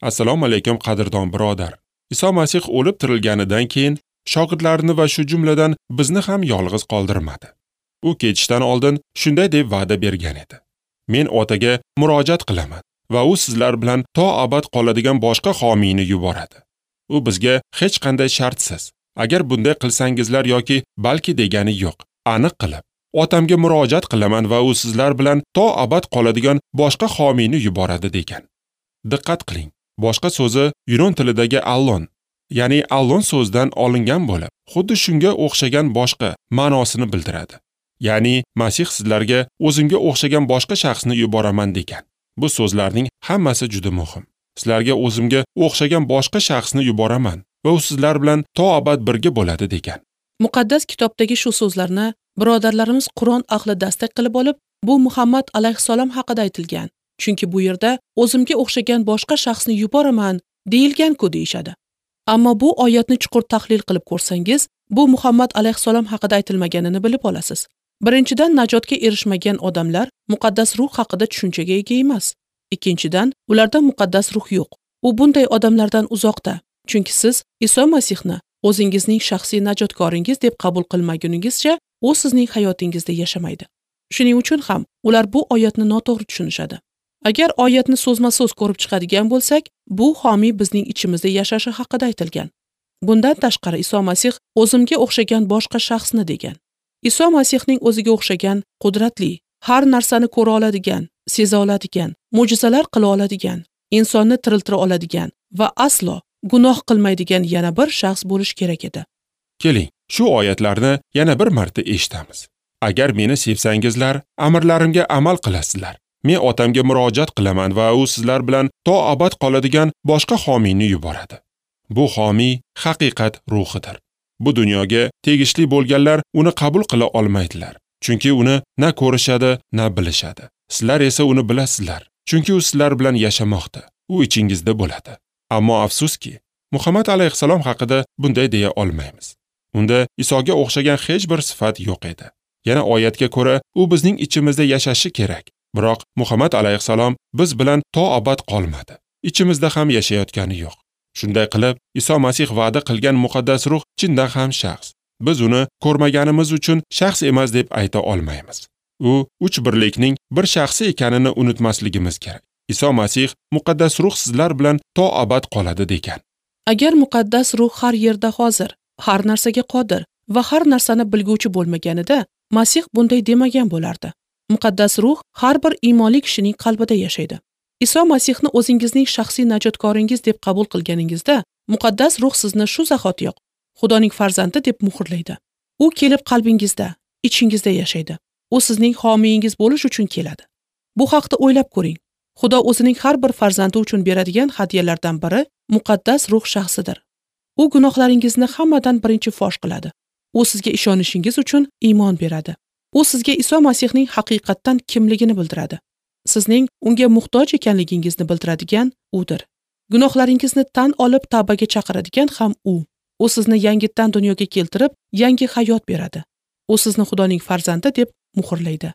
Assalomu alaykum qadrdon birodar. Iso Masih o'lib tirilganidan keyin shogirdlarini va shu jumladan bizni ham yolg'iz qoldirmadi. U ketishdan oldin shunday deb va'da bergan edi. Men Otaga murojaat qilaman va u sizlar bilan to abad qoladigan boshqa homiyni yuboradi. U bizga hech qanday shartsiz, agar bunday qilsangizlar yoki balki degani yo'q, aniq qilib, Otamga murojaat qilaman va u sizlar bilan to abad qoladigan boshqa homiyni yuboradi degan. Diqqat qiling. Boshqa so'zi yunon tilidagi allon, ya'ni allon so'zidan olingan bo'lib, xuddi shunga o'xshagan boshqa ma'nosini bildiradi. Ya'ni Masih sizlarga o'zimga o'xshagan boshqa shaxsni yuboraman degan. Bu so'zlarning hammasi juda muhim. Sizlarga o'zimga o'xshagan boshqa shaxsni yuboraman va u sizlar bilan to abad birga bo'ladi degan. Muqaddas kitobdagi shu so'zlarni birodarlarimiz Qur'on ahli dastak qilib olib, bu Muhammad alayhissalom haqida aytilgan. Chunki bu yerda o'zimga o'xshagan boshqa shaxsni yuboraman deyilgan-ku deyishadi. Ammo bu oyatni chuqur tahlil qilib ko'rsangiz, bu Muhammad alayhissalom haqida aytilmaganini bilib olasiz. Birinchidan, najotga erishmagan odamlar muqaddas ruh haqida tushunchaga ega emas. Ikkinchidan, ularda muqaddas ruh yo'q. U bunday odamlardan uzoqda. Chunki siz Iso Masihni o'zingizning shaxsiy najotkoringiz deb qabul qilmaguningizcha, u sizning hayotingizda yashamaydi. Shuning uchun ham ular bu oyatni noto'g'ri tushunishadi. Agar oyatni so'zma-so'z ko'rib chiqadigan bo'lsak, bu homiy bizning ichimizda yashashi haqida aytilgan. Bundan tashqari Iso Masih o'zimga o'xshagan boshqa shaxsni degan. Iso Masihning o'ziga o'xshagan qudratli, har narsani ko'ra oladigan, seza oladigan, mo'jizalar qila oladigan, insonni tiriltira oladigan va aslo gunoh qilmaydigan yana bir shaxs bo'lish kerak edi. Keling, shu oyatlarni yana bir marta eshitamiz. Agar meni sevsangizlar, amrlarimga amal qilasizlar. Men Otamga murojaat qilaman va u sizlar bilan to abad qoladigan boshqa homiyni yuboradi. Bu homiy haqiqat ruhidir. Bu dunyoga tegishli bo'lganlar uni qabul qila olmaydilar, chunki uni na ko'rishadi, na bilishadi. Sizlar esa uni bilasizlar, chunki u sizlar bilan yashamoqda, u ichingizda bo'ladi. Ammo afsuski, Muhammad alayhissalom haqida bunday deya olmaymiz. Unda Isoga o'xshagan hech bir sifat yo'q edi. Yana oyatga ko'ra, u bizning ichimizda yashashi kerak. Biroq Muhammad alayhissalom biz bilan to abad qolmadi. Ichimizda ham yashayotgani yo'q. Shunday qilib, Iso Masih va'da qilgan muqaddas ruh chindan ham shaxs. Biz uni ko'rmaganimiz uchun shaxs emas deb ayta olmaymiz. U uch birlikning bir shaxsi ekanini unutmasligimiz kerak. Iso Masih muqaddas ruh sizlar bilan to abad qoladi degan. Agar muqaddas ruh har yerda hozir, har narsaga qodir va har narsani bilguvchi bo'lmaganida, Masih bunday demagan bo'lardi. Muqaddas ruh har bir iymonli kishining qalbida yashaydi. Iso Masihni o'zingizning shaxsiy najotkoringiz deb qabul qilganingizda, muqaddas ruh sizni shu zahotiyoq Xudoning farzandi deb muhrlaydi. U kelib qalbingizda, ichingizda yashaydi. U sizning homiyingiz bo'lish uchun keladi. Bu haqda o'ylab ko'ring. Xudo o'zining har bir farzandi uchun beradigan hadyalardan biri muqaddas ruh shaxsidir. U gunohlaringizni hammadan birinchi fosh qiladi. U sizga ishonishingiz uchun iymon beradi. U sizga Iso Masihning haqiqatdan kimligini bildiradi. Sizning unga muhtoj ekanligingizni bildiradigan udir. Gunohlaringizni tan olib tavbaga chaqiradigan ham u. U sizni yangitdan dunyoga keltirib, yangi hayot beradi. U sizni Xudoning farzandi deb muhrlaydi.